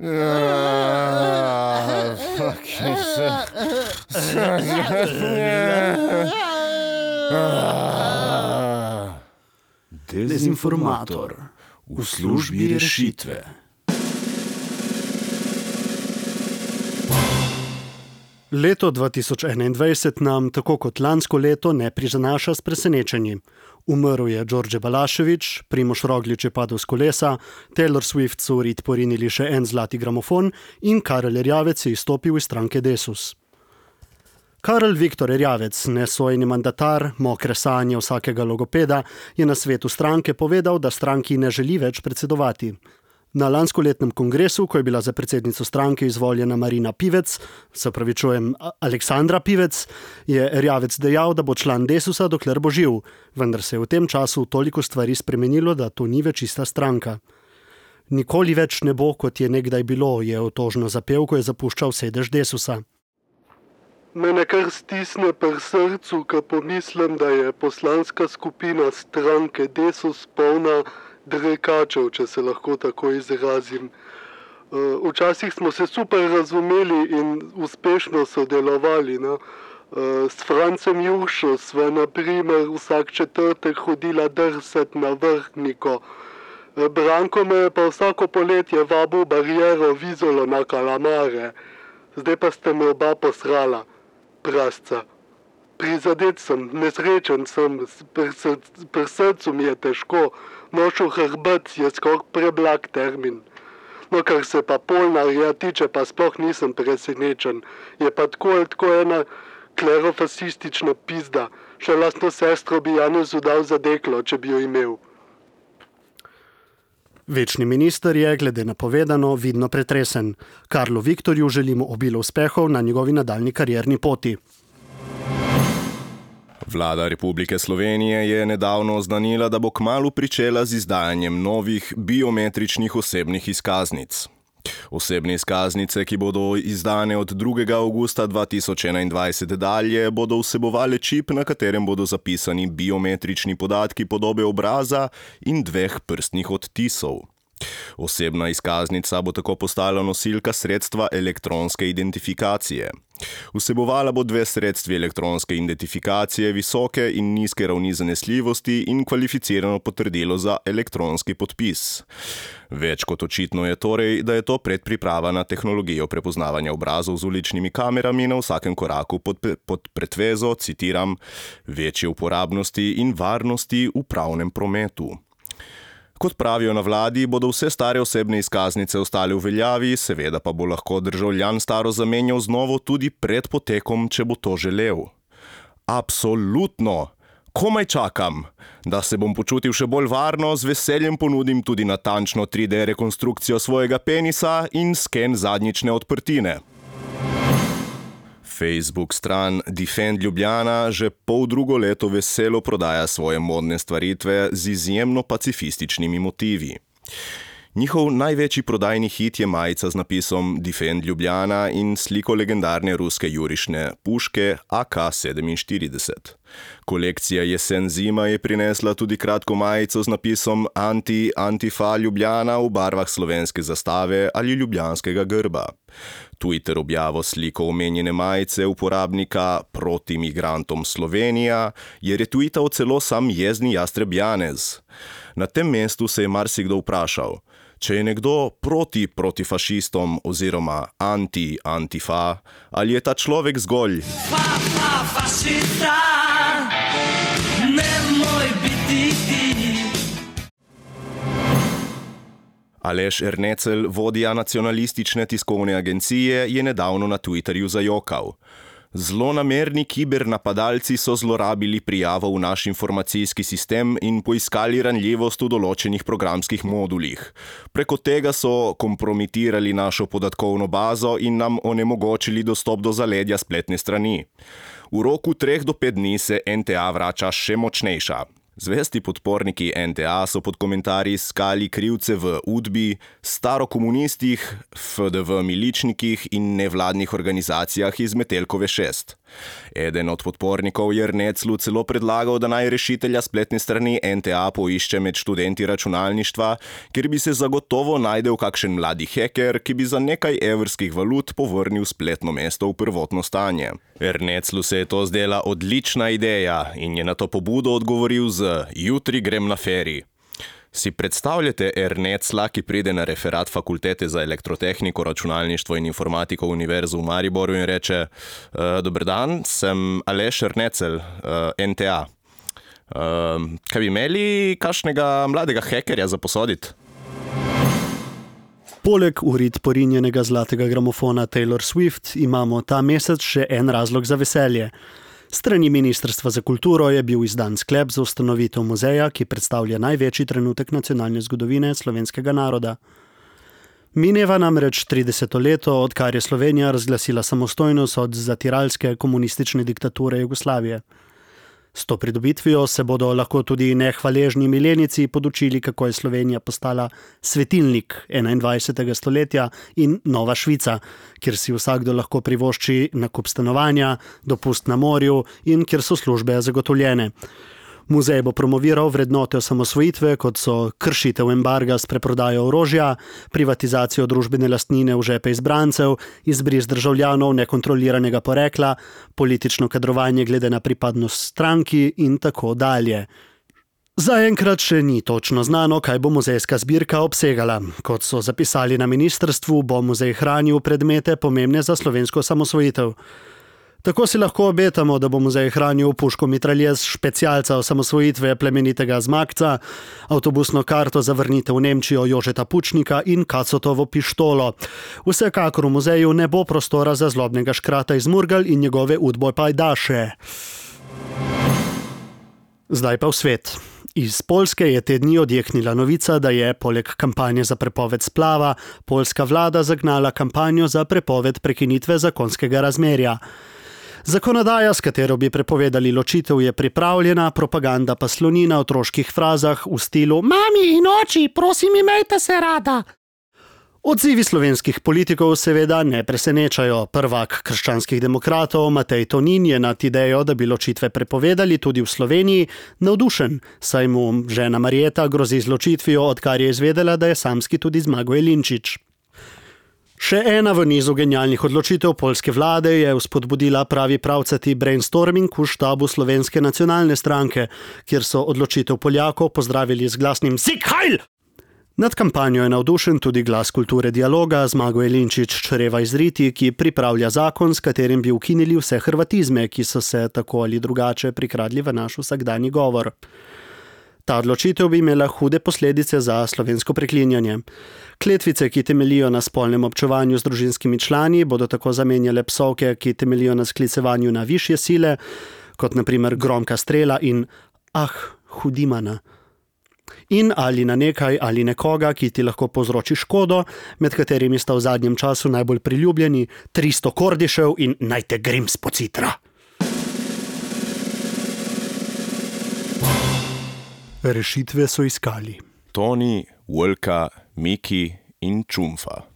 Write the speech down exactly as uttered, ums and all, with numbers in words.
Ah, fucking shit. Dezinformator v službi rešitve. Leto dva tisoč enaindvajset nam, tako kot lansko leto, ne prizanaša s presenečenji. Umrl je Đorđe Balašević, Primož Roglič je padel s kolesa, Taylor Swift so v rit porinili še en zlati gramofon in Karel Erjavec je izstopil iz stranke Desus. Karel Viktor Erjavec, nesojeni mandatar, mokre sanje vsakega logopeda, je na svetu stranke povedal, da stranki ne želi več predsedovati. Na lanskoletnem kongresu, ko je bila za predsednico stranke izvoljena Marina Pivec, se pravičujem, Aleksandra Pivec, je Erjavec dejal, da bo član Desusa, dokler bo živ, vendar se je v tem času toliko stvari spremenilo, da to ni več ista stranka. Nikoli več ne bo, kot je nekdaj bilo, je otožno zapel, ko je zapuščal sedež Desusa. Mene kar stisne pri srcu, ko pomislim, da je poslanska skupina stranke Desus polna drekačev, če se lahko tako izrazim. Včasih smo se super razumeli in uspešno sodelovali. No? S Francem Juršo sva na primer vsak četrtek hodila drsat na Vrhniko. Branko me je pa vsako poletje vabil bariero Vizolo na kalamare. Zdaj pa ste me oba posrala, prasca. Prizadet sem, nesrečen sem, pri srcu mi je težko. Nošel hrbet je skoraj preblag termin. No, kar se pa Polnarja tiče, pa sploh nisem presenečen. Je pa tako ali tako ena klerofasistična pizda. Še lastno sestro bi Janezu dal za deklo, če bi jo imel. Večni minister je, glede na povedano, vidno pretresen. Karlu Viktorju želimo obilo uspehov na njegovi nadaljnji karierni poti. Vlada Republike Slovenije je nedavno oznanila, da bo kmalu pričela z izdajanjem novih biometričnih osebnih izkaznic. Osebne izkaznice, ki bodo izdane od drugega avgusta dva tisoč enaindvajset dalje, bodo vsebovale čip, na katerem bodo zapisani biometrični podatki podobe obraza in dveh prstnih odtisov. Osebna izkaznica bo tako postala nosilka sredstva elektronske identifikacije. Vsebovala bo dve sredstvi elektronske identifikacije, visoke in nizke ravni zanesljivosti in kvalificirano potrdilo za elektronski podpis. Več kot očitno je torej, da je to predpriprava na tehnologijo prepoznavanja obrazov z uličnimi kamerami na vsakem koraku pod, pod pretvezo, citiram, večje uporabnosti in varnosti v pravnem prometu. Kot pravijo na vladi, bodo vse stare osebne izkaznice ostale v veljavi, seveda pa bo lahko državljan staro zamenjal z novo tudi pred potekom, če bo to želel. Absolutno! Komaj čakam! Da se bom počutil še bolj varno, z veseljem ponudim tudi natančno tri D rekonstrukcijo svojega penisa in sken zadnjične odprtine. Facebook stran Defend Ljubljana že pol drugo leto veselo prodaja svoje modne stvaritve z izjemno pacifističnimi motivi. Njihov največji prodajni hit je majica z napisom Defend Ljubljana in sliko legendarne ruske jurišne puške A K sedeminštirideset. Kolekcija Jesen-zima je prinesla tudi kratko majico z napisom Anti-Antifa Ljubljana v barvah slovenske zastave ali ljubljanskega grba. Twitter objavo sliko omenjene majice uporabnika Proti migrantom Slovenija je retweetal celo sam jezni jastreb Janez. Na tem mestu se je marsikdo vprašal, če je nekdo proti protifašistom oziroma anti-antifa, ali je ta človek zgolj Pa, pa, fašista, nemoj biti ti. Aleš Ernecel, vodja nacionalistične tiskovne agencije, je nedavno na Twitterju zajokal. Zlonamerni kibernapadalci so zlorabili prijavo v naš informacijski sistem in poiskali ranljivost v določenih programskih modulih. Preko tega so kompromitirali našo podatkovno bazo in nam onemogočili dostop do zaledja spletne strani. V roku treh do pet dni se N T A vrača še močnejša. Zvesti podporniki N T A so pod komentarji iskali krivce v Udbi, starokomunistih, F D V miličnikih in nevladnih organizacijah iz Metelkove šest. Eden od podpornikov je Erneclu celo predlagal, da naj rešitelja spletne strani N T A poišče med študenti računalništva, kjer bi se zagotovo najdel kakšen mladi heker, ki bi za nekaj evrskih valut povrnil spletno mesto v prvotno stanje. Erneclu se je to zdela odlična ideja in je na to pobudo odgovoril z "Jutri grem na feri". Si predstavljate Ernecla, ki pride na referat Fakultete za elektrotehniko, računalništvo in informatiko Univerze v Mariboru in reče: "Dober dan, sem Aleš Ernecel, N T A. Kaj bi imeli kakšnega mladega hekerja za posoditi?" Poleg urit porinjenega zlatega gramofona Taylor Swift imamo ta mesec še en razlog za veselje. Strani Ministrstva za kulturo je bil izdan sklep za ustanovitev muzeja, ki predstavlja največji trenutek nacionalne zgodovine slovenskega naroda. Mineva namreč trideseto leto, odkar je Slovenija razglasila samostojnost od zatiralske komunistične diktature Jugoslavije. S to pridobitvijo se bodo lahko tudi nehvaležni milenici podučili, kako je Slovenija postala svetilnik enaindvajsetega stoletja in nova Švica, kjer si vsakdo lahko privošči nakup stanovanja, dopust na morju in kjer so službe zagotovljene. Muzej bo promoviral vrednote osamosvojitve, kot so kršitev embarga s preprodajo orožja, privatizacijo družbene lastnine v žepe izbrancev, izbris državljanov nekontroliranega porekla, politično kadrovanje glede na pripadnost stranki in tako dalje. Zaenkrat še ni točno znano, kaj bo muzejska zbirka obsegala. Kot so zapisali na ministrstvu, bo muzej hranil predmete pomembne za slovensko osamosvojitev. Tako si lahko obetamo, da bo muzej hranil puško mitraljez specialca osamosvojitve plemenitega Zmagca, avtobusno karto za vrnitev v Nemčijo Jožeta Pučnika in Kacotovo pištolo. Vsekakor v muzeju ne bo prostora za zlobnega škrata iz Murgal in njegove udbojpajdaše. Zdaj pa v svet. Iz Poljske je te dni odjeknila novica, da je poleg kampanje za prepoved splava poljska vlada zagnala kampanjo za prepoved prekinitve zakonskega razmerja. Zakonodaja, s katero bi prepovedali ločitev, je pripravljena, propaganda pa sloni na otroških frazah v stilu "Mami in oči, prosim, imejte se rada". Odzivi slovenskih politikov seveda ne presenečajo. Prvak krščanskih demokratov Matej Tonin je nad idejo, da bi ločitve prepovedali tudi v Sloveniji, navdušen, saj mu žena Marjeta grozi z ločitvijo, odkar je izvedela, da je samski tudi Zmago Jelinčič. Še ena v nizu genialnih odločitev poljske vlade je vzpodbudila pravi pravcati brainstorming v štabu Slovenske nacionalne stranke, kjer so odločitev Poljakov pozdravili z glasnim "Sieg Heil!". Nad kampanjo je navdušen tudi glas kulture dialoga Zmago Jelinčič čreva iz Riti, ki pripravlja zakon, s katerim bi ukinili vse hrvatizme, ki so se tako ali drugače prikradli v naš vsakdanji govor. Ta odločitev bi imela hude posledice za slovensko preklinjanje. Kletvice, ki temeljijo na spolnem občevanju z družinskimi člani, bodo tako zamenjale psovke, ki temeljijo na sklicevanju na višje sile, kot na primer gromka strela in ah, hudimana. In ali na nekaj ali nekoga, ki ti lahko povzroči škodo, med katerimi sta v zadnjem času najbolj priljubljeni tristo Kordišev in Naj te Grims pocitra. Rešitve so iskali Toni, Vlka, Miki in Čumfa.